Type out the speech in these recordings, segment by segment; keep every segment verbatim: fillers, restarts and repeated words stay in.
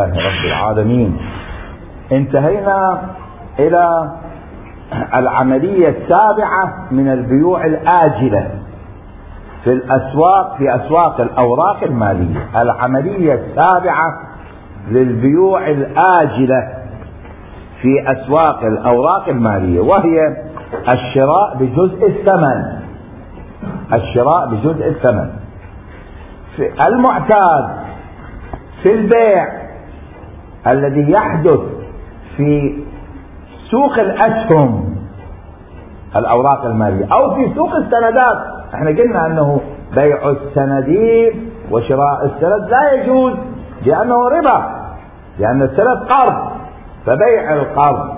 رب العالمين. انتهينا الى العملية السابعة من البيوع الآجلة في الاسواق، في اسواق الاوراق المالية. العملية السابعة للبيوع الآجلة في اسواق الاوراق المالية، وهي الشراء بجزء الثمن. الشراء بجزء الثمن في المعتاد في البيع الذي يحدث في سوق الأسهم الأوراق المالية أو في سوق السندات. احنا قلنا أنه بيع السندين وشراء السند لا يجوز لأنه ربا، لأن السند قرض، فبيع القرض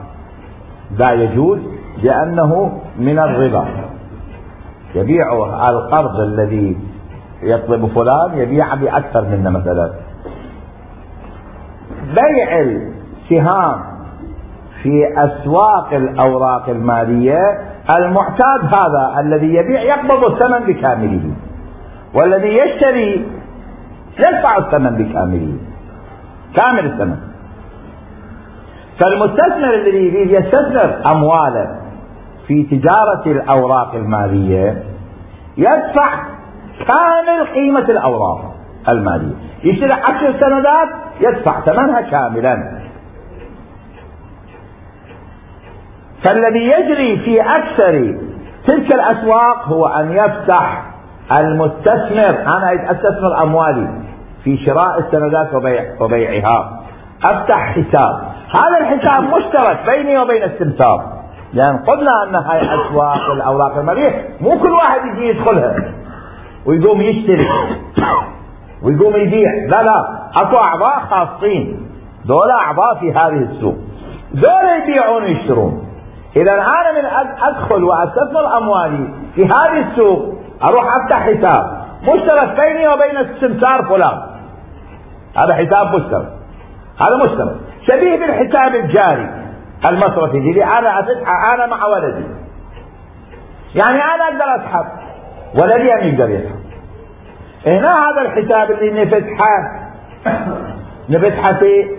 لا يجوز لأنه من الربا. يبيع القرض الذي يطلب فلان يبيع بأكثر منه. مثلا بيع السهام في أسواق الأوراق المالية المعتاد هذا الذي يبيع يقبض الثمن بكامله، والذي يشتري يدفع الثمن بكامله، كامل الثمن. فالمستثمر الذي يريد يستثمر أمواله في تجارة الأوراق المالية يدفع كامل قيمة الأوراق المالية. يشتري عشر سندات يدفع ثمنها كاملا. فالذي يجري في أكثر تلك الأسواق هو أن يفتح المستثمر، أنا أستثمر أموالي في شراء السندات وبيع وبيعها، أفتح حساب. هذا الحساب مشترك بيني وبين السمسار، لأن قلنا أن هاي أسواق الأوراق المالية مو كل واحد يجي يدخلها ويقوم يشتري ويقوم يبيع، لا لا، اكو اعضاء خاصين، دول اعضاء في هذه السوق، دول يبيعون ويشترون. اذا انا من ادخل واستثمر اموالي في هذه السوق اروح افتح حساب مشترك بيني وبين السمسار فلان، هذا حساب مشترك، هذا مشترك شبيه بالحساب الجاري المصرفي اللي انا افتحه انا مع ولدي. يعني انا اقدر اسحب، ولدي ان يقدر يسحب. هنا هذا الحساب اللي نفتحه نفتحه في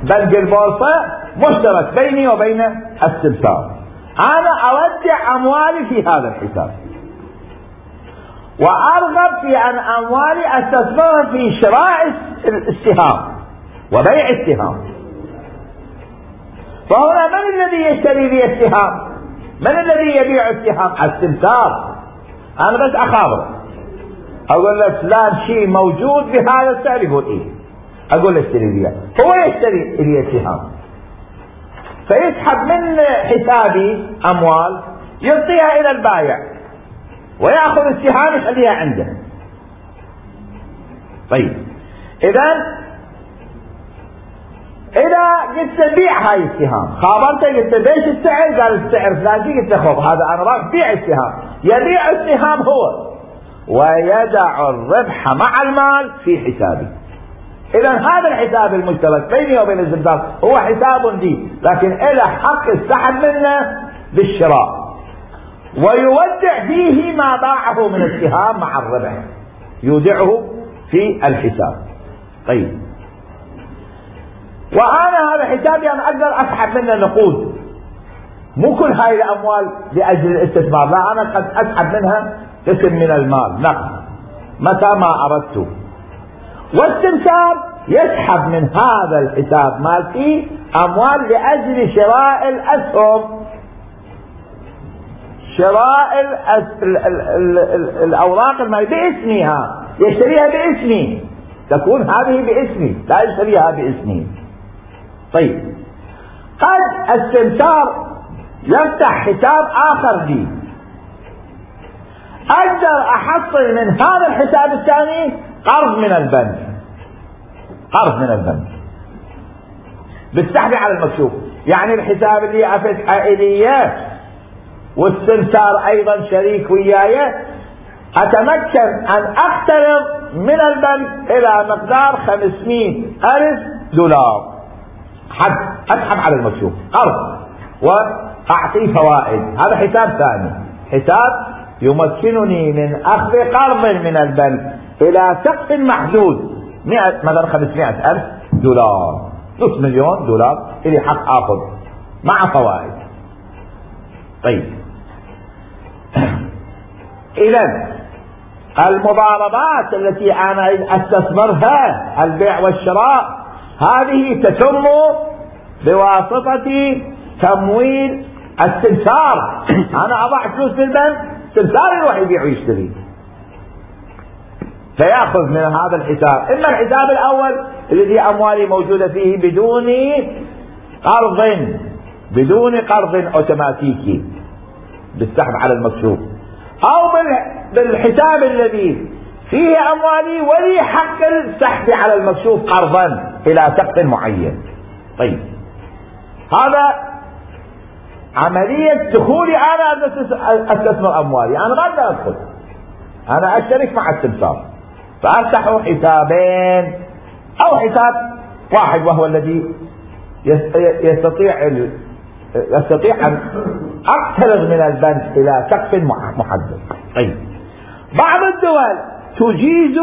بنك البورصة مشترك بيني وبين السمسار. انا اودع اموالي في هذا الحساب وارغب في ان اموالي استثمرها في شراء السهام وبيع السهام. فهنا من الذي يشتري لي السهام؟ من الذي يبيع السهام؟ السمسار. انا بس اخابره، اقول له فلان شيء موجود بهذا السعر، يقول ايه، اقول له اشتري لي، هو يشتري لي السهام، فيسحب من حسابي اموال يعطيها الى البائع وياخذ السهام يخليها عنده. طيب اذا اذا قلت بيع هاي السهام، خابرته قلت ليش السعر؟ قال السعر فلان، قلت له خذ هذا انا راح بيع السهام. يبيع السهام هو ويدع الربح مع المال في حسابي. اذا هذا الحساب المشترك بيني وبين السمسار هو حساب لي، لكن له حق السحب منه بالشراء، ويودع فيه ما باعه من السهام مع الربح، يودعه في الحساب. طيب وانا هذا حسابي انا اقدر اسحب منه نقود، مو كل هاي الاموال لاجل الاستثمار، لا، انا قد اسحب منها قسم من المال نقد متى ما اردت. والسمسار يسحب من هذا الحساب مالتي اموال لاجل شراء الاسهم، شراء الأس... ال... ال... ال... ال... الاوراق المالية باسمها، يشتريها باسمي، تكون هذه باسمي، لا يشتريها باسمي. طيب قد السمسار يفتح حساب اخر لي، اقدر احصل من هذا الحساب الثاني قرض من البنك، قرض من البنك بالسحب على المكشوف. يعني الحساب اللي افتحه الي والسمسار ايضا شريك وياي، اتمكن ان اقترض من البنك الى مقدار خمسمائة الف دولار، حد اسحب على المكشوف قرض واعطيه فوائد. هذا حساب ثاني، حساب يمكنني من اخذ قرض من البنك الى سقف محدود، مئة مثلا خمسمائة الف دولار، نص مليون دولار إلي حق آخذ مع فوائد. طيب إذن المضاربات التي أنا أستثمرها البيع والشراء هذه تتم بواسطة تمويل السمسار. أنا أضع فلوس في البنك، السمسار يروح يبيع ويشتري، فيأخذ من هذا الحساب. إما الحساب الأول الذي أموالي موجودة فيه بدون قرض بدون قرض أوتوماتيكي بالسحب على المكشوف، أو بالحساب الذي فيه أموالي ولي حق السحب على المكشوف قرضا إلى سقف معين. طيب هذا عملية دخولي أنا أستثمر أموالي، أنا ما أقدر أدخل، أنا أشترك مع السمسار فأفتح حسابين أو حساب واحد وهو الذي يستطيع يستطيع أن أقترض من البنك إلى سقف محدد. طيب بعض الدول تجيز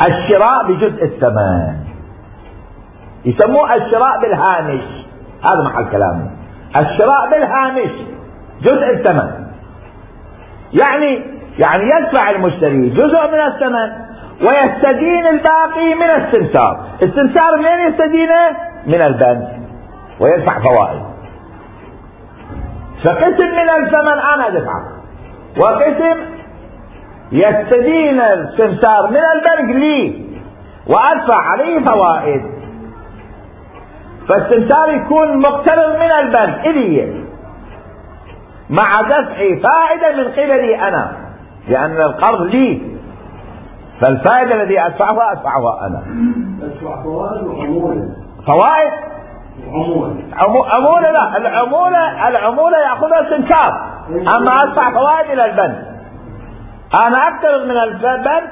الشراء بجزء الثمن، يسموه الشراء بالهامش، هذا محل كلامي، الشراء بالهامش جزء الثمن، يعني يعني يدفع المشتري جزء من الثمن ويستدين الباقي من السمسار. السمسار منين يستدينه؟ من البنك، ويدفع فوائد. فقسم من الثمن انا ادفعه، وقسم يستدين السمسار من البنك لي وادفع عليه فوائد. فالسمسار يكون مقترض من البنك الي مع دفع فائدة من قبلي انا، لان القرض لي، فالفائدة الذي ادفعها ادفعها انا. ادفع فوائد وعمولة. فوائد وعمولة. عمولة لا، العمولة العمولة ياخذها السمسار، اما ادفع فوائد الى البنك. انا اقترض من البنك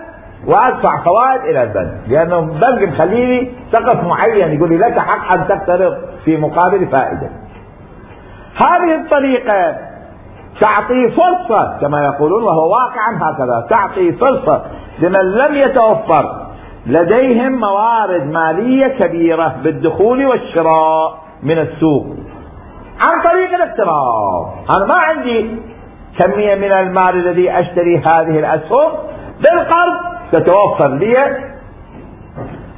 وادفع فوائد الى البنك، لانه البنك مخليني سقف معين يقول لي لك حق ان تقترض في مقابل فائدة. هذه الطريقة تعطي فرصة كما يقولون، وهو واقعا هكذا، تعطي فرصة لمن لم يتوفر لديهم موارد مالية كبيرة بالدخول والشراء من السوق عن طريق الاقتراض. انا ما عندي كمية من المال الذي اشتري هذه الاسهم، بالقرض تتوفر لي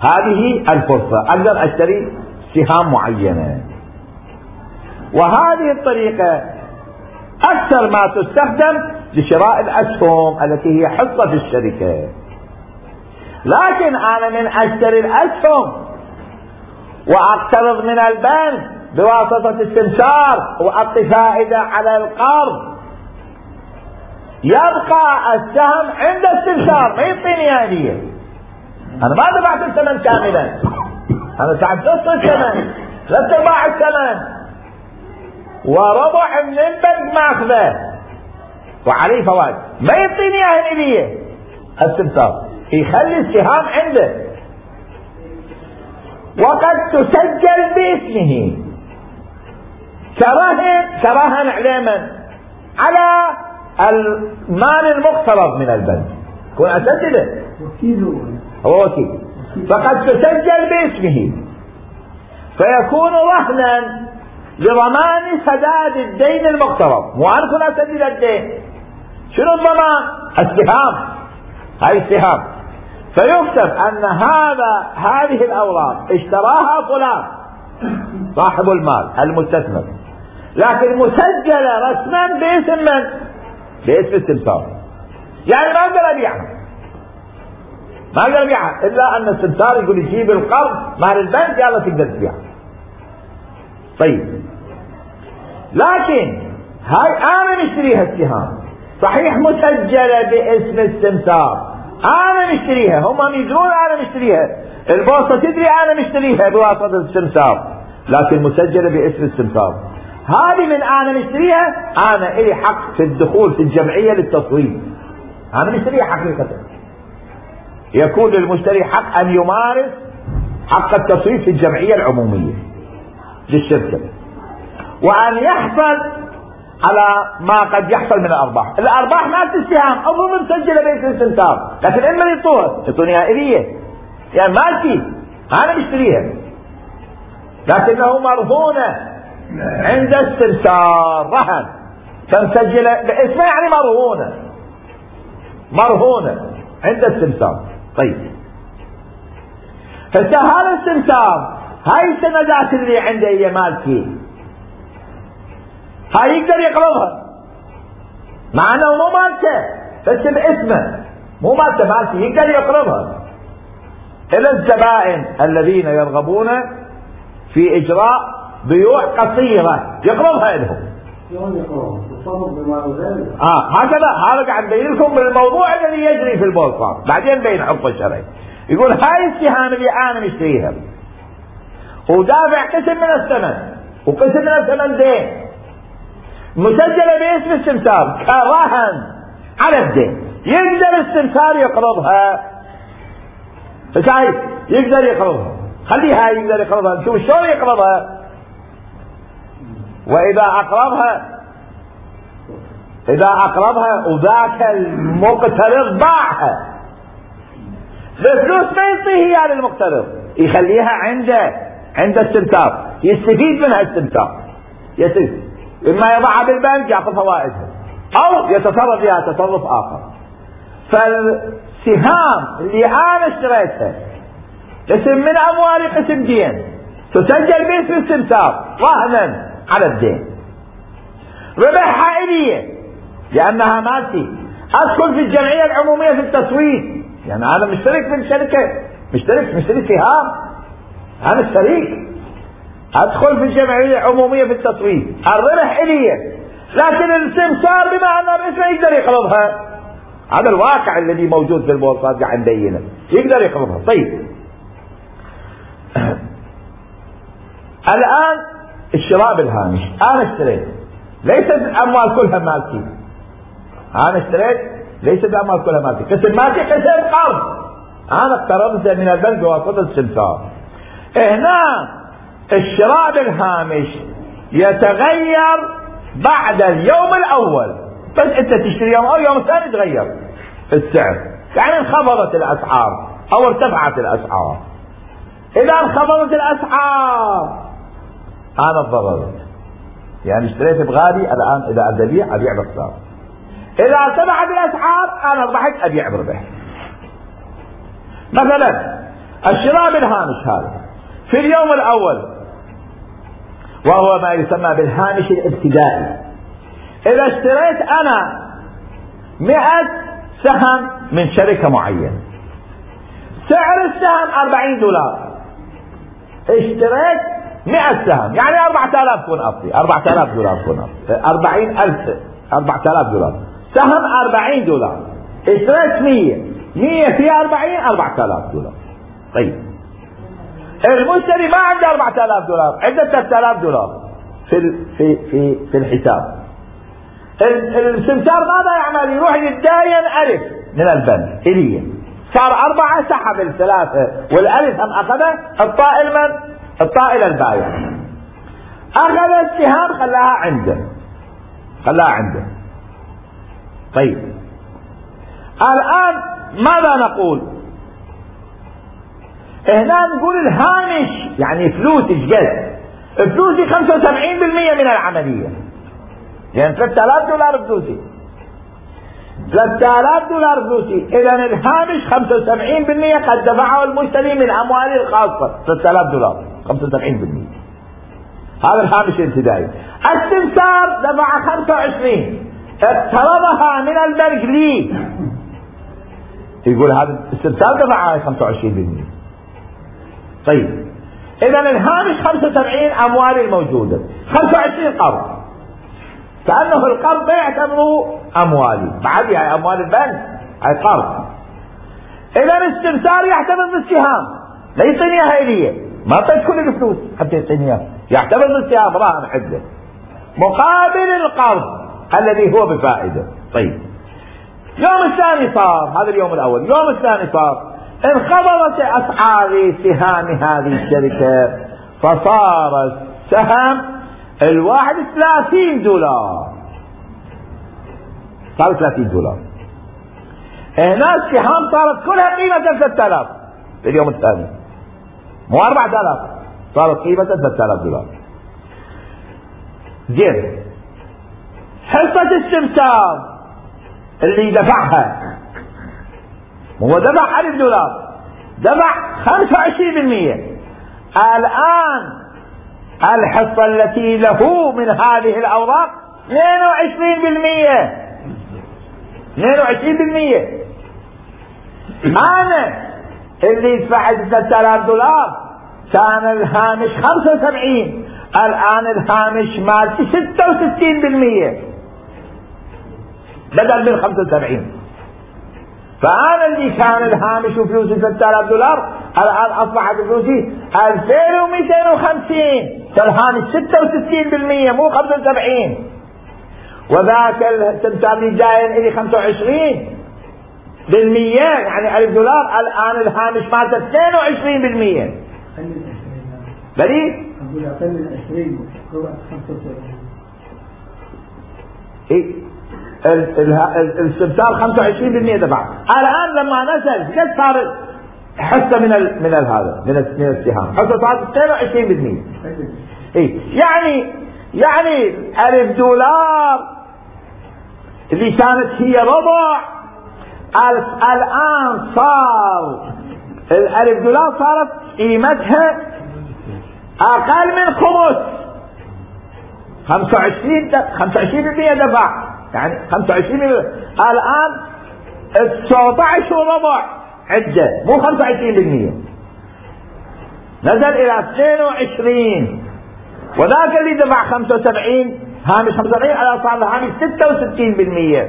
هذه الفرصة، اقدر اشتري سهام معينة. وهذه الطريقة اكثر ما تستخدم لشراء الاسهم التي هي حصة في الشركة. لكن انا من اشتري الاسهم واقترض من البنك بواسطة السمسار واعطي فائدة على القرض، يبقى السهم عند السمسار، ما يعطيني هدية. انا ما دفعت الثمن كاملا، انا دفعت نص الثمن، ثلاث ارباع الثمن، وربع من البنك ماخذه وعليه فوائد، ما يعطيني هدية السمسار، يخلي السهام عنده. وقد تسجل باسمه كرهن كرهن علما على المال المقترض من البنك، يكون اسجله هو وكيل، فقد تسجل باسمه فيكون رهنا لضمان سداد الدين المقترض. مو انا كنت اسدد الدين، شنو الضمان؟ السهام، هاي السهام. فيكتب ان هذا هذه الاوراق اشتراها فلان صاحب المال المستثمر، لكن مسجله رسما باسم من؟ باسم السمسار. يعني ما اقدر ابيعها، ما اقدر ابيعها الا ان السمسار يقول يجيب القرض مال البنك، يلا تقدر تبيعها. طيب لكن هاي انا مشتريها السهام، صحيح مسجله باسم السمسار، انا مشتريها، هم يدرون انا مشتريها، البورصه تدري انا مشتريها بواسطه السمسار، لكن مسجله باسم السمسار. هذه من انا مشتريها، انا الي حق في الدخول في الجمعيه للتصويت، انا مشتريها حقيقه. يكون للمشتري حق ان يمارس حق التصويت في الجمعيه العموميه للشركه، وان يحصل على ما قد يحصل من الارباح. الارباح ما تستهام، اظن مسجله باسم السمسار، لكن اما يعطوها يعطوني اليه، يعني مالتي انا مشتريها لكنه مرهونة عند السمسار رهن، فمسجلة باسمه يعني مرهونة مرهونة عند السمسار. طيب هسه هذا السمسار هاي السندات اللي عنده هي مالتي، هاي يقدر يقرضها مع انه مو مالته بس باسمه، مو مالته مالتي، يقدر يقرضها. الى الزبائن الذين يرغبون في اجراء بيوع قصيرة يقرضها لهم. شلون يقرض؟ تصرف بما ذلك. اه هكذا، هذا قاعد نبين لكم بالموضوع الذي يجري في البورصة، بعدين بين حكم الشرعي. يقول هاي السهام اللي انا مشتريها ودافع قسم من الثمن وقسم من الثمن دين مسجلة باسم السمسار كرهن على الدين، يقدر السمسار يقرضها. فشايف يقدر يقرضها، خليها يقدر يقرضها، نشوف شلون يقرضها. واذا اقرضها اذا اقرضها وذاك المقترض باعها الفلوس ما يعطيها اياها للمقترض، يخليها عنده عند السمسار، يستفيد منها السمسار، يستفيد اما يضعها بالبنك يعطي فوائدها او يتصرف فيها تصرف اخر. فالسهام اللي انا اشتريتها قسم من اموالي قسم دين تسجل باسم السمسار رهنا على الدين، ربحها الي لانها مالتي، ادخل في الجمعية العمومية في التصويت، يعني انا مشترك في الشركة، مشترك مشترك سهام، انا شريك، ادخل في الجمعية العمومية في التصويت، الربح الي، لكن السمسار بما انه باسمه يقدر يقرضها. هذا الواقع الذي موجود في البورصات قاعد نبينه، يقدر يقرضها. طيب الان الشراء بالهامش، انا اشتريت ليست الاموال كلها مالتي، انا اشتريت ليست الاموال كلها مالتي، قسم مالتي قسم قرض، انا اقترضت من البنك بواسطة السمسار. هنا الشراء بالهامش يتغير بعد اليوم الاول، بس انت تشتري يوم او يوم ثاني تغير السعر، يعني انخفضت الاسعار او ارتفعت الاسعار. اذا انخفضت الاسعار انا اتضررت، يعني اشتريت بغالي، الان اذا ابي ابيع ابيع بخسارة. اذا ارتفعت الاسعار انا ربحت ابيع بربح. مثلا الشراء بالهامش هذا في اليوم الاول وهو ما يسمى بالهامش الابتدائي، اذا اشتريت انا مئة سهم من شركة معينة، سعر السهم أربعين دولار، اشتريت مئة سهم يعني أربعة آلاف كون أفضي، أربعة آلاف دولار كون أفضي، أربعين ألف، أربعة آلاف دولار، سهم أربعين دولار، اشتريت مية، مية في أربعين أربعة آلاف دولار. طيب المشتري ما عنده أربعة آلاف دولار، عنده ثلاثة آلاف دولار في في في في الحساب. السمسار ماذا يعمل؟ يروح يتداين ألف من البنك إليه، صار أربعة، سحب الثلاثة والألف هم أخذه، الطائل من؟ الطائل البايع، أخذ السهام خلاها عنده، خلاها عنده. طيب الآن ماذا نقول؟ هنا نقول الهامش يعني فلوس ايش؟ فلوسي خمسة وسبعين بالمئة من العملية، يعني ثلاثة آلاف دولار فلوسي، ثلاثة آلاف دولار فلوسي، اذا الهامش خمسة وسبعين بالمئة قد دفعه المشتري من امواله الخاصة، ثلاثة آلاف دولار خمسة وسبعين بالمئة، هذا الهامش الابتدائي. السمسار دفع خمسة وعشرين، اقترضها من البنك لي، يقول هذا السمسار دفع خمسة وعشرين بالمئة. طيب اذا الهامش خمسة وسبعين اموالي الموجودة، خمسة وعشرين قرض، كأنه القرض ما يعتبره اموالي، بعد يعني اموال البنك هاي قرض. اذا الاستمسار يعتبر بالسهام، لا يعطيني اياها الي، ما اعطيت كل الفلوس حتى يعطيني اياها، يعتبر بالسهام راهن حده مقابل القرض الذي هو بفائدة. طيب يوم الثاني صار، هذا اليوم الاول، يوم الثاني صار انخفضت اسعار سهام هذه الشركة، فصار السهم الواحد ثلاثين دولار، صار ثلاثين دولار. هنا السهام صارت كلها قيمة ثلاثة آلاف في اليوم الثاني، مو أربعة آلاف، صارت قيمة ثلاثة آلاف دولار. زين، حصة السمسار اللي دفعها، هو دفع ألف دولار، دفع خمسة وعشرين بالمئة. الآن الحصة التي له من هذه الأوراق اثنين وعشرين بالمئة. اثنين وعشرين بالمئة. أنا اللي دفعت ثلاثة آلاف دولار كان الهامش خمسة وسبعين، الآن الهامش مالتي ستة وستين بالمئة بدل من خمسة وسبعين. فأنا اللي كان الهامش وفلوسي ثلاثة آلاف دولار الآن أصبحت فلوسي ألفين ومئتين وخمسين، فالهامش ستة وستين بالمئة مو خمسة وسبعين. وذاك السمسار اللي جاي إلي خمسة وعشرين بالمئة يعني ألف دولار، الآن الهامش مالته اثنين وعشرين بالمئة. بلي؟ أقول أقل من عشرين خمسة وسبعين. إيه السمسار خمسة وعشرين بالمئة دفع. الآن لما نزل قد صار حصة من ال من ال هذا من من السهام، حصة صارت اثنين وعشرين بالمئة. إيه يعني يعني ألف دولار اللي كانت هي ربع، الآن صار الألف دولار صارت قيمتها أقل من خمس. خمسة وعشرين خمسة وعشرين بالمئة دفع، يعني خمسة وعشرين بالمئة. الآن تسعة عشر وربع عدة مو خمسة وعشرين بالمئة، نزل إلى اثنين وعشرين. وذاك اللي دفع خمسة وسبعين هامش خمسة وسبعين على صار الهامش ستة وستين بالمئة.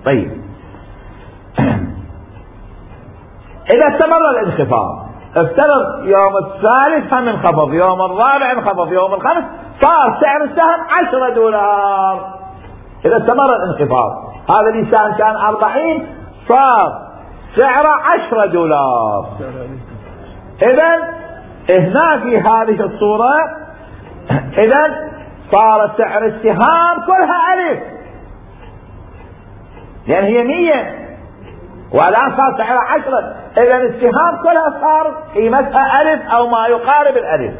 طيب إذا استمر الانخفاض، افترض يوم الثالث هم انخفض، يوم الرابع انخفض، يوم الخامس صار سعر السهم عشرة دولار. إذا استمر الانخفاض، هذا الإنسان كان أربعين صار سعره عشرة دولار. إذن هنا في هذه الصورة إذن صار سعر السهام كلها ألف، لأن هي مية والآن صار سعرها عشرة. إذن السهام كلها صار قيمتها ألف أو ما يقارب الألف.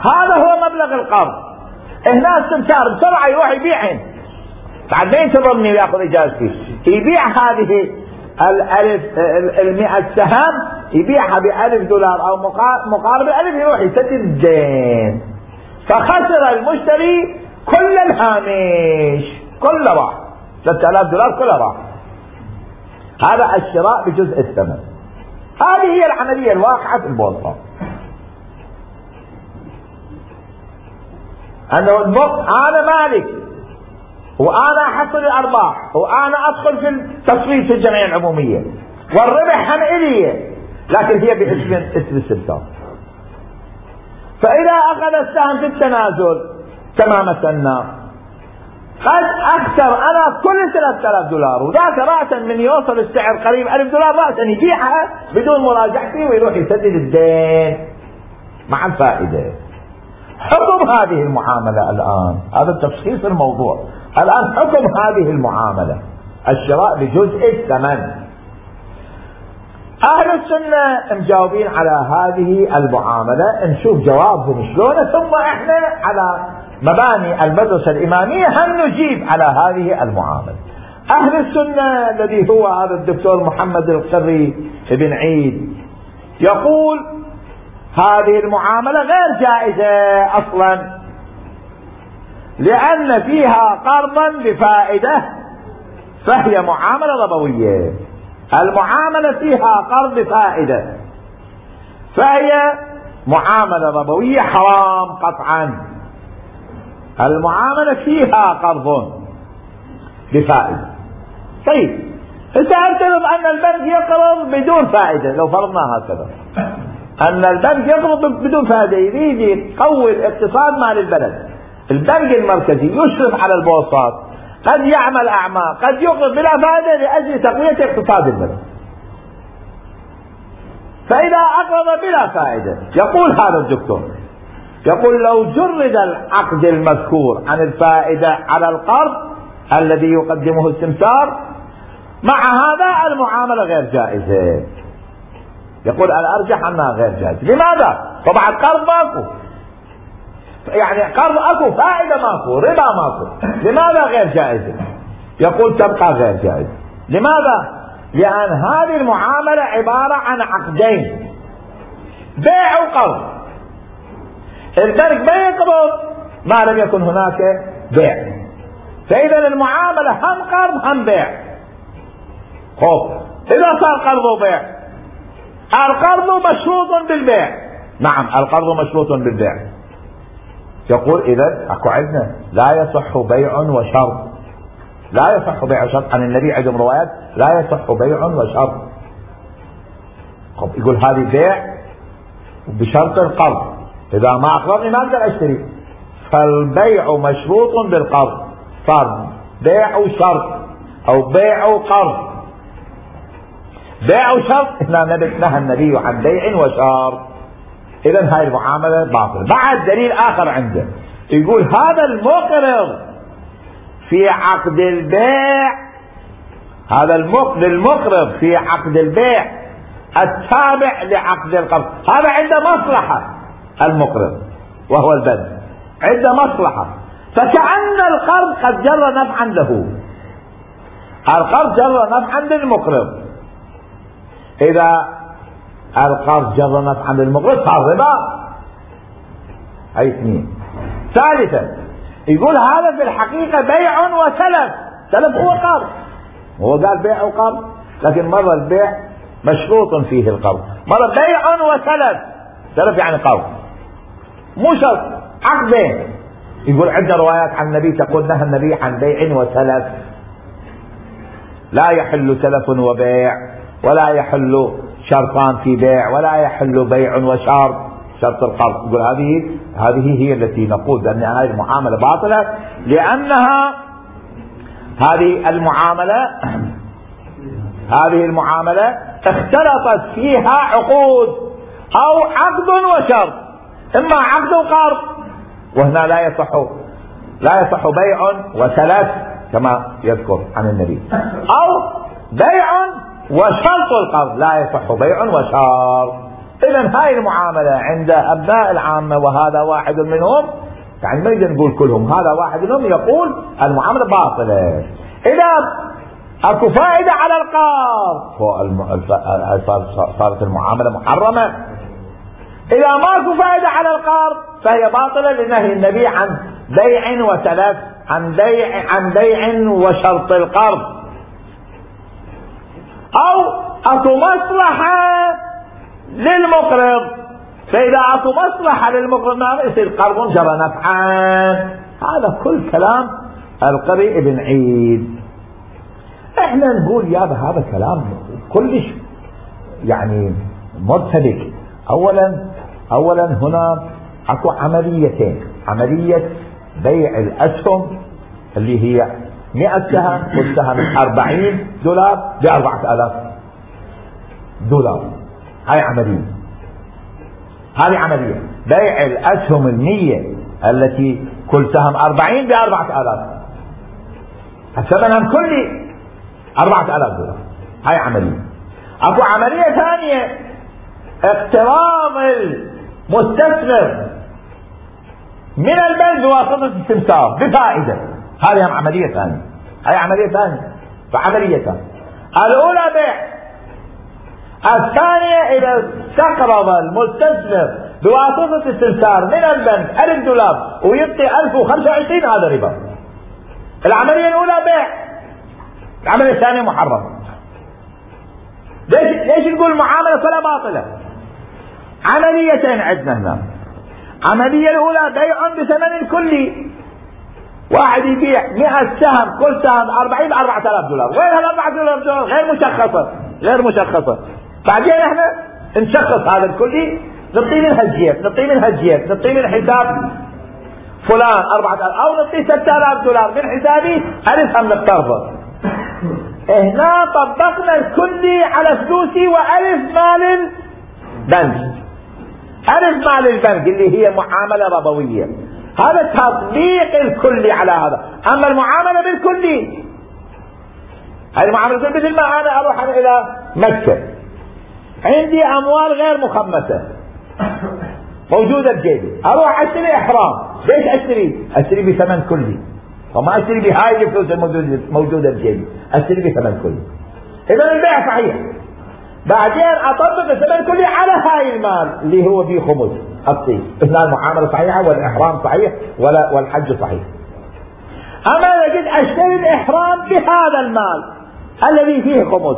هذا هو مبلغ القرض. هنا السمسار بسرعة يروح يبيعهن، بعد ما ينتظرني ويأخذ إجازتي، يبيع هذه الألف المئة سهم، يبيعها بألف دولار أو مقارب الألف، يروح يسدد الدين. فخسر المشتري كل الهامش، كله راح، ثلاثة آلاف دولار كله راح. هذا الشراء بجزء الثمن. هذه هي العملية الواقعة في البورصة. أنه أنا مالك وأنا أحصل الأرباح وأنا أدخل في التصويت في الجمعية العمومية والربح هم إلي، لكن هي باسم اسم السمسار. فإذا أخذ السهم في التنازل كما مثلنا قد أخسر أنا كل ثلاثة آلاف دولار، وذاك رأسا من يوصل السعر قريب ألف دولار رأسا يبيعها بدون مراجعتي ويروح يسدد الدين مع الفائدة. حكم هذه المعاملة الآن، هذا التشخيص الموضوع الآن، حكم هذه المعاملة الشراء بجزء الثمن. أهل السنة مجاوبين على هذه المعاملة، نشوف جوابهم شلون، ثم احنا على مباني المدرسة الإمامية هم نجيب على هذه المعاملة. أهل السنة الذي هو هذا الدكتور محمد القري بن عيد يقول هذه المعاملة غير جائزة أصلا، لأن فيها قرضا بفائدة فهي معاملة ربوية. المعاملة فيها قرض بفائدة فهي معاملة ربوية حرام قطعا. المعاملة فيها قرض بفائدة. طيب سأفترض أن البنك يقرض بدون فائدة، لو فرضنا هكذا أن البنك يقرض بدون فائدة، يريد يقوي الاقتصاد مال البلد، البنك المركزي يشرف على البورصات، قد يعمل أعمال، قد يقرض بلا فائدة لأجل تقوية اقتصاد البلد. فإذا أقرض بلا فائدة، يقول هذا الدكتور، يقول لو جرد العقد المذكور عن الفائدة على القرض الذي يقدمه السمسار، مع هذا المعاملة غير جائزة. يقول الارجح انها غير جائزة. لماذا؟ طبعا قرض ماكو، يعني قرض اكو، فائدة ماكو، ربا ماكو، لماذا غير جائزة؟ يقول تبقى غير جائزة. لماذا؟ لان هذه المعاملة عبارة عن عقدين، بيع وقرض. البنك ما يقبض ما لم يكن هناك بيع، فاذا المعاملة هم قرض هم بيع. خوف اذا صار قرض وبيع، القرض مشروط بالبيع. نعم القرض مشروط بالبيع. يقول اذا اكو عندنا لا يصح بيع وشرط، لا يصح بيع وشرط. عن النبي عندهم روايات لا يصح بيع وشرط. يقول هذه بيع بشرط القرض، اذا ما اقرضني ما اقدر اشتري، فالبيع مشروط بالقرض، صار بيع وشرط او بيع وقرض. بيع وشرط هنا نهى النبي عن بيع وشرط، اذا هاي المعاملة باطلة. بعد دليل اخر عنده يقول هذا المقرض في عقد البيع، هذا المقرض في عقد البيع التابع لعقد القرض، هذا عنده مصلحة المقرض وهو البنك، عنده مصلحة، فكأن القرض قد جر نفعا له، القرض جر نفعا للمقرض. إذا القرض جر نفعا للمقرض صار ربا. أي اثنين. ثالثا يقول هذا في الحقيقة بيع وسلف، سلف هو قرض، هو قال بيع وقرض، لكن مرة البيع مشروط فيه القرض، مرة بيع وسلف، سلف يعني قرض مو شرط، عقدين. يقول عندنا روايات عن النبي تقول نهى النبي عن بيع وسلف، لا يحل سلف وبيع، ولا يحل شرطان في بيع، ولا يحل بيع وشرط، شرط القرض. يقول هذه هذه هي التي نقول بأن هذه المعاملة باطلة، لأنها هذه المعاملة هذه المعاملة اختلطت فيها عقود أو عقد وشرط، إما عقد وقرض، وهنا لا يصح لا يصح بيع وسلف كما يذكر عن النبي، أو بيع وشرط القرض، لا يصح بيع وشرط. إذن هاي المعاملة عند أبناء العامة وهذا واحد منهم، يعني ما يقدر نقول كلهم، هذا واحد منهم يقول المعاملة باطلة. إذا أكو فائدة على القرض صارت المعاملة محرمة، إذا ماكو فائدة على القرض فهي باطلة لنهي النبي عن بيع وسلف، عن بيع عن بيع وشرط القرض. أو أكو مصلحة للمقرض، فإذا أكو مصلحة للمقرض ما يصير قرض جرى نفعا. هذا كل كلام القري ابن عيد. احنا نقول يا هذا كلام كلش يعني مرتبك. اولا اولا هنا اكو عمليتين، عملية بيع الاسهم اللي هي مئة سهم، والسهم أربعين دولار بأربعة آلاف دولار، هاي عملية. هذه عملية بيع الاسهم المية التي كل سهم أربعين بأربعة آلاف، ثمنها كلي أربعة آلاف دولار، هاي عملية. اكو عملية ثانية اقتراض المستثمر من البنك بواسطة السمسار بفائدة، هذه هم عملية ثانية، هاي عملية ثانية. فعمليتان، الأولى بيع، الثانية إذا استقرض المستثمر بواسطة السمسار من البنك ألف دولار ويعطي ألف وخمسة وعشرين، هذا ربا. العملية الأولى بيع، العملية الثانية محرمة. ليش ليش نقول معاملة فلا باطلة؟ عمليتين عندنا هنا. عملية الأولى بيع بثمن كلي، واحد يبيع مئة سهم، كل سهم أربعين بأربعة آلاف دولار، غير هالأربعة آلاف دولار غير مشخصة، غير مشخصة. بعدين احنا نشخص هذا الكلي، نعطيه من هالجيب، نعطيه من هالجيب، نعطيه من حساب فلان أربعة آلاف، أو نعطيه ستة آلاف دولار من حسابي ألف هم نقترضه. هنا طبقنا الكلي على فلوسي وألف مال البنك، ألف مال البنك اللي هي معاملة ربوية. هذا تطبيق الكلي على هذا. أما المعاملة بالكلي، هذه المعاملة مثل ما أنا أروح أنا إلى مكة عندي اموال غير مخمسة موجودة بجيبي، اروح اشتري احرام. ليش اشتري؟ اشتري بثمن كلي، وما اشتري بهاي الفلوس الموجودة بجيبي، اشتري بثمن كلي. اذا البيع صحيح. بعدين اطبق الثمن كلي على هاي المال اللي هو فيه خمس، اعطيه. هنا المعاملة صحيحة والاحرام صحيح ولا والحج صحيح. اما اذا جيت اشتري الاحرام بهذا المال الذي فيه خمس،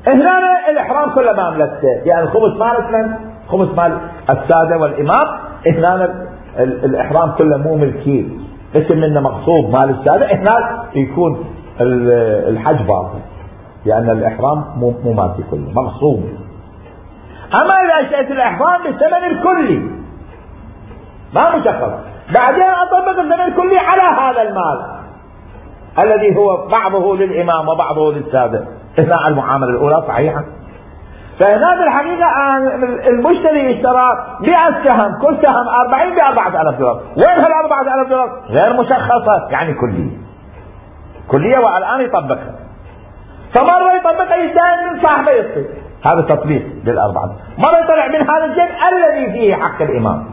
هنا الاحرام كله ما ملكته، يعني الخمس مال من؟ خمس مال السادة والامام. هنا الاحرام كله مو ملكي، اسم منه مغصوب مال السادة. هنا يكون الحج باطل، لان الاحرام مو مالتي كله، مغصوب. اما اذا اشتريت الاحرام بالثمن الكلي ما مشخص، بعدين اطبق الثمن الكلي على هذا المال الذي هو بعضه للامام وبعضه للسادة، هنا المعاملة الاولى صحيحة. فهنا في الحقيقة المشتري اشترى مئة سهم، كل سهم أربعين بأربعة آلاف دولار. وين هالأربعة آلاف دولار؟ غير مشخصة، يعني كلية كلية، والآن يطبقها. فمرة يطبقها يدان من صاحبه يصير هذا تطبيق للأربعة، مرة يطلع من هذا الجد الذي فيه حق الإمام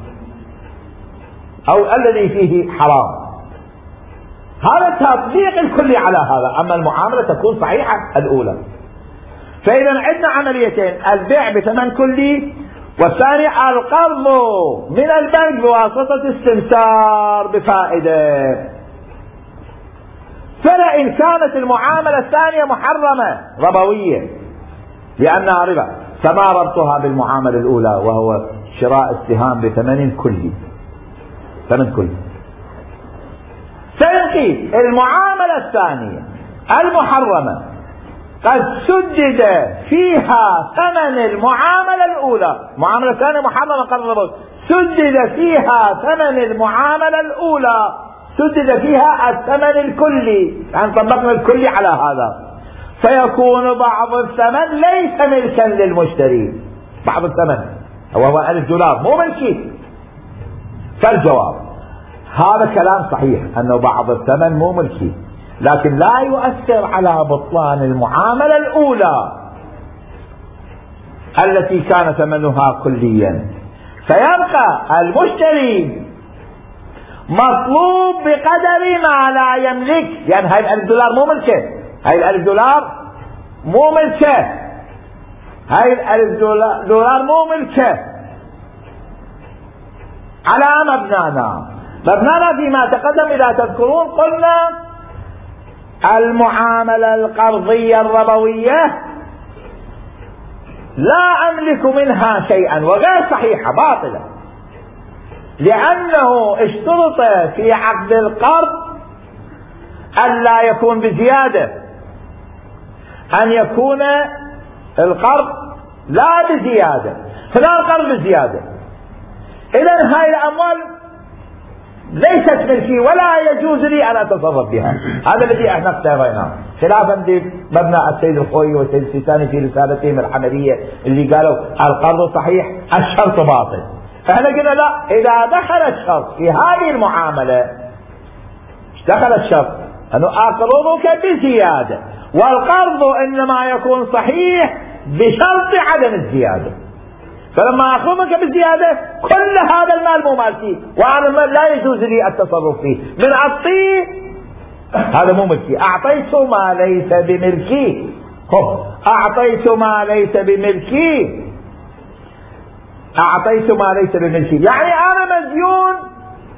أو الذي فيه حرام. هذا التطبيق الكلي على هذا. أما المعاملة تكون صحيحة الأولى. فإذا عندنا عمليتين: البيع بثمن كلي، والثاني القرض من البنك بواسطة استمسار بفائدة. فلئن كانت المعاملة الثانية محرمة ربوية لأنها ربا، فما ربطها بالمعاملة الأولى وهو شراء السهام بثمن كلي، ثمن كلي. فإن المعاملة الثانية المحرمة قد سدد فيها ثمن المعاملة الأولى، المعاملة الثانية محرمة قرض ربوي، سدد فيها ثمن المعاملة الأولى، سدد فيها الثمن الكلي، يعني طبقنا الكلي على هذا، فيكون بعض الثمن ليس ملكا للمشتري. بعض الثمن وهو ألف دولار مو ملكي. فالجواب هذا كلام صحيح أنه بعض الثمن مو ملكي، لكن لا يؤثر على بطلان المعاملة الأولى التي كان ثمنها كليا. فيبقى المشتري مطلوب بقدر ما لا يملك، يعني هاي الألف دولار مو ملكه، هاي الألف دولار مو ملكه، هاي الألف دولار مو ملكه. على مبنانا مبنانا فيما تقدم إذا تذكرون قلنا المعاملة القرضية الربوية لا أملك منها شيئا، وغير صحيحة، باطلة، لأنه اشترط في عقد القرض أن لا يكون بزيادة، أن يكون القرض لا بزيادة، فلا القرض بزيادة. إذن هاي الأموال ليست ملكي ولا يجوز لي أن أتصرف بها. هذا الذي احنا اختاريناه، خلافا بمبنى السيد الخوي والسيد السيستاني في رسالتهم الحمدية اللي قالوا القرض صحيح الشرط باطل. احنا قلنا لا، إذا دخل الشرط في هذه المعاملة، دخل الشرط أنه أقرضك بزيادة، والقرض إنما يكون صحيح بشرط عدم الزيادة. فلما أخذك بالزيادة كل هذا المال مو مالكي، وهذا المال لا يجوز لي التصرف فيه، من أعطيه هذا مو ملكي. أعطيت ما ليس بملكي، خب أعطيت ما ليس بملكي، أعطيت ما ليس بملكي، يعني أنا مديون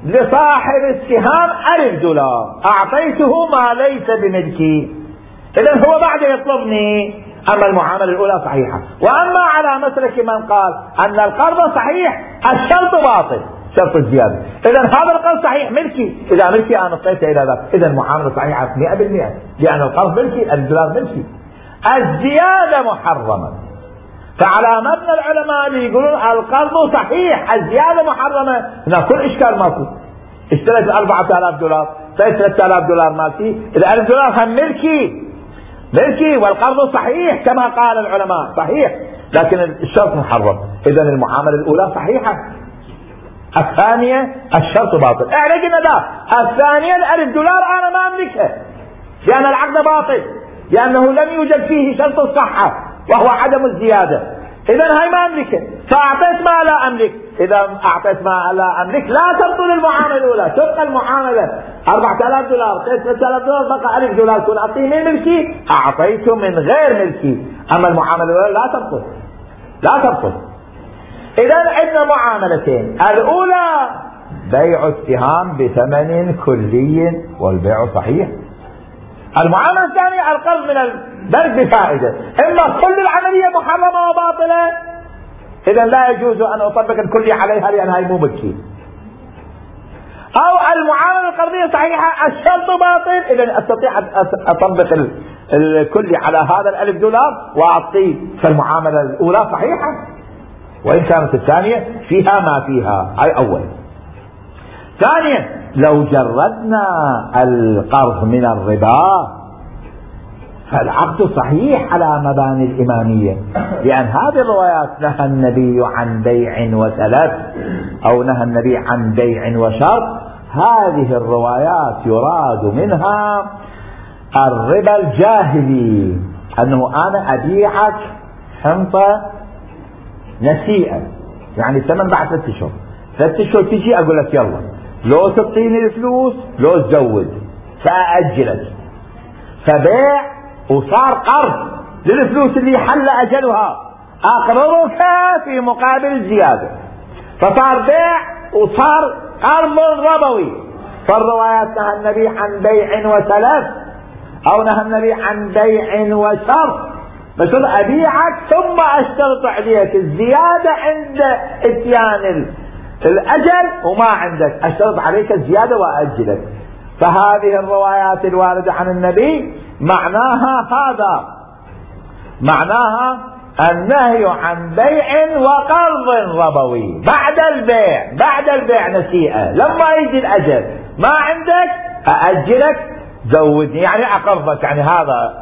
لصاحب السهام ألف دولار، أعطيته ما ليس بملكي، إذن هو بعد يطلبني. أما المعاملة الأولى صحيحة. وأما على مسلك من قال أن القرض صحيح الشرط باطل، شرط الزيادة، إذن هذا القرض صحيح ملكي، إذا ملكي أنا اعطيته إلى ذلك، إذن المعاملة صحيحة مئة بالمئة، لأن القرض ملكي، الدولار ملكي. الزيادة محرمة. فعلى مبنى العلماء اللي يقولون القرض صحيح الزيادة محرمة، هنا كل إشكال ماكو. اشتريت أربعة آلاف دولار، اشتريت ثلاثة آلاف دولار مالتي، إذا ألف دولار هم ملكي، ملكي، والقرض صحيح كما قال العلماء صحيح، لكن الشرط محرم. إذن المعاملة الأولى صحيحة، الثانية الشرط باطل. احنا قلنا لا، الثانية الألف دولار أنا ما أملكها لأن العقد باطل، لأنه لم يوجد فيه شرط الصحة، وهو عدم الزيادة. إذا هاي ما أملكه، فأعطيت ما لا أملك. إذا أعطيت ما لا أملك لا تبطل المعاملة الأولى، تبقى المعاملة أربعة آلاف دولار، ثلاثة آلاف دولار، بقى ألف دولار، كل أعطيه من ملكي، أعطيته من غير ملكي. أما المعاملة الأولى لا تبطل، لا تبطل. إذا عندنا معاملتين، الأولى بيع السهام بثمن كلي والبيع صحيح. المعاملة الثانية القرض من البنك بفائدة. إما كل العملية محرمة وباطلة، إذا لا يجوز أن أطبق الكلي عليها لأنها مو ملكي. أو المعاملة القرضية صحيحة الشرط باطل، إذا أستطيع أن أطبق الكلي على هذا الألف دولار وأعطيه، فالمعاملة الأولى صحيحة وإن كانت الثانية فيها ما فيها. هاي أول. ثانيا، لو جردنا القرض من الربا فالعقد صحيح على مباني الإمامية، لأن هذه الروايات نهى النبي عن بيع وسلف أو نهى النبي عن بيع وشرط. هذه الروايات يراد منها الربا الجاهلي، أنه أنا أبيعك حنطة نسيئة، يعني الثمن بعد ثلاثة أشهر، ثلاثة أشهر تجي أقول لك يلا لو تعطيني الفلوس لو تزود فأأجلك، فبيع وصار قرض للفلوس اللي حل أجلها، أقرضك في مقابل الزيادة، فصار بيع وصار قرض ربوي. فالروايات نهى النبي عن بيع وسلف أو نهى النبي عن بيع وشرط، بس أبيعك ثم أشترط عليك الزيادة عند اتيان الأجل وما عندك، أشترط عليك الزيادة وأجلك. فهذه الروايات الواردة عن النبي معناها هذا، معناها النهي عن بيع وقرض ربوي بعد البيع، بعد البيع نسيئة، لما يجي الأجل ما عندك أأجلك زودني، يعني أقرضك، يعني هذا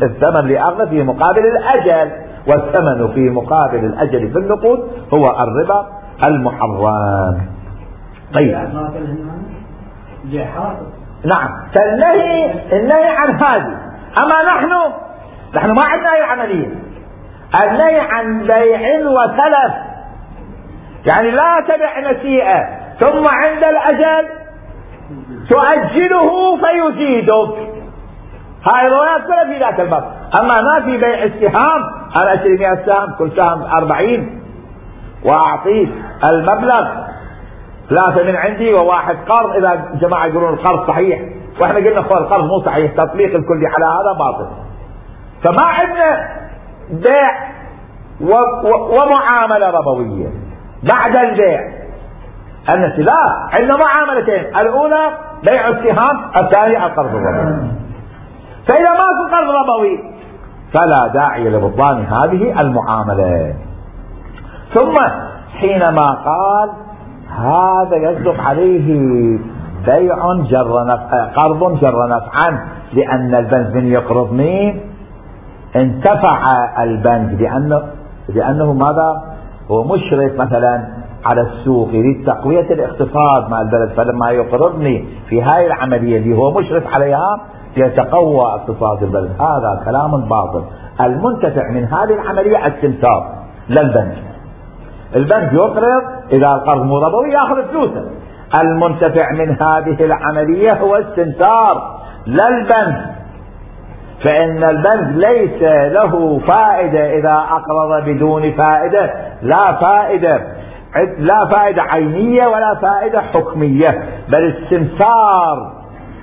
الثمن اللي أخذ في مقابل الأجل، والثمن في مقابل الأجل في النقود هو الربا المحرم. طيب نعم، فالنهي النهي عن هذه. أما نحن نحن ما عندنا أي عملية، النهي عن بيع وسلف، يعني لا تبع نسيئة ثم عند الأجل تؤجله فيزيدك. هاي الروايات كلها في ذاك الباب. أما ما في بيع السهام، أنا أشتري مئة سهم، كل سهم أربعين وأعطيه المبلغ ثلاثة من عندي وواحد قرض، إذا جماعة يقولون القرض صحيح وإحنا قلنا خو القرض مو صحيح، تطبيق الكلي على هذا باطل. فما عندنا بيع و... و... ومعاملة ربوية بعد البيع النسي، لا، عندنا معاملتين، الأولى بيع السهام، الثانية القرض الربوي. فإذا ما في قرض ربوي فلا داعي لبطلان هذه المعاملة. ثم حينما قال هذا يصدق عليه بيع جر نفع، قرض جر نفعا، لأن البنك من يقرض مين انتفع البنك، لأنه لأنه ماذا هو مشرف مثلا على السوق، يريد تقوية الاقتصاد مع البلد، فلما يقرضني في هاي العملية اللي هو مشرف عليها يتقوى اقتصاد البلد. هذا كلام باطل. المنتفع من هذه العملية السمسار للبنك. البنك يقرض، إذا القرض مو ربوي يأخذ فلوسه. المنتفع من هذه العملية هو السمسار للبنك، فإن البنك ليس له فائدة إذا أقرض بدون فائدة، لا فائدة لا فائدة عينية ولا فائدة حكمية، بل السمسار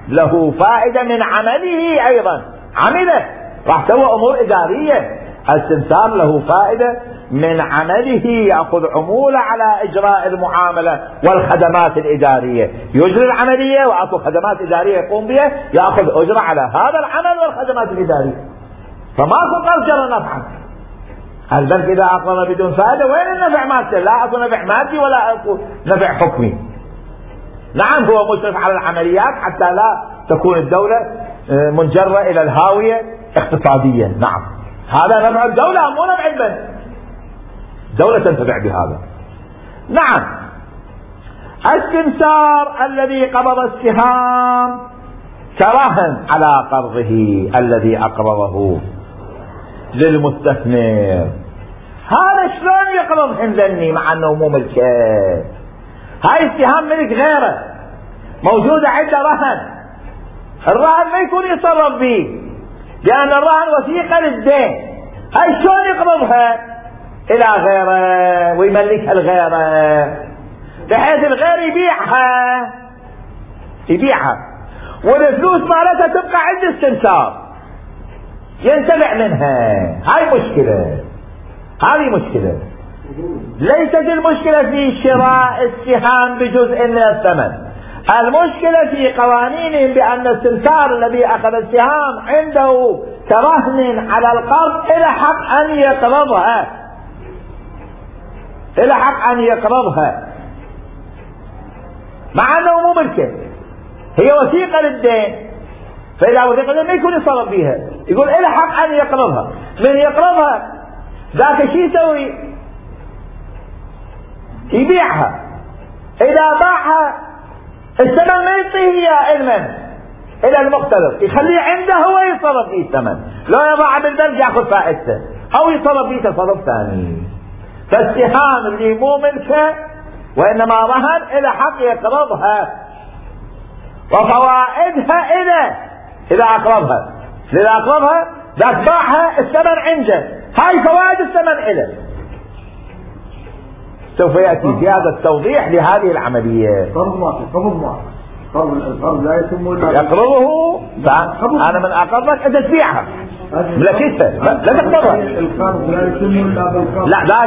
له فائدة من عمله، أيضا عمله راح سوى أمور إدارية، السمسار له فائدة من عمله، يأخذ عمولة على إجراء المعاملة والخدمات الإدارية، يجري العملية وأعطوا خدمات إدارية يقوم بها، يأخذ أجرة على هذا العمل والخدمات الإدارية. فماكو قرض جر نفعا. البنك إذا أقرض بدون فائدة وين النفع مادي؟ لا أكو نفع مادي ولا أكو نفع حكمي. نعم هو مشرف على العمليات حتى لا تكون الدولة منجرة إلى الهاوية اقتصاديا، نعم هذا نفع الدولة مو نفع البنك، دولة تنتفع بهذا. نعم السمسار الذي قبض السهام كرهن على قرضه الذي أقرضه، للمستثمر. هذا شلون يقرض ذني مع انه مو ملكه؟ هاي السهام ملك غيره موجودة عنده رهن، الرهن ما يكون يتصرف به لأن الرهن وثيقة للدين. هاي شلون يقرضها إلى غيره ويملكها لغيره بحيث الغير يبيعها يبيعها والفلوس مالتها تبقى عند السمسار ينتفع منها. هاي مشكلة، هذه مشكلة. ليست المشكلة في شراء السهام بجزء من الثمن، المشكلة في قوانينهم بأن السمسار الذي أخذ السهام عنده كرهن على القرض إلى حق أن يقرضها إلى حق أن يقرضها مع أنه مو ملكه، هي وثيقة للدين. فإذا وثيقة للدين ما يكون يصرف بيها، يقول إلى حق أن يقرضها. من يقرضها ذاك شو يسوي؟ يبيعها. إذا باعها الثمن ما يعطيه إياه المن إلى المقترض، يخليه عنده هو يصرف فيه الثمن، لو يضعها بالبنك يأخذ فائدته أو يصرف فيه تصرف ثاني. فالسهام اللي مو ملكه وإنما رهن إلى حق يقرضها وفوائدها إلى إذا أقرضها. إذا أقرضها ذاك باعها الثمن عنده، هاي فوائد الثمن إلى. سوف يأتي في هذا التوضيح لهذه العملية. قرض واحد قرض واحد قرض القرض لا يتم إلا يقرضه. أنا من أقرضك أنت تبيعها ملكتها لا تقرضها. القرض لا يتم إلا بالقرض. لا لا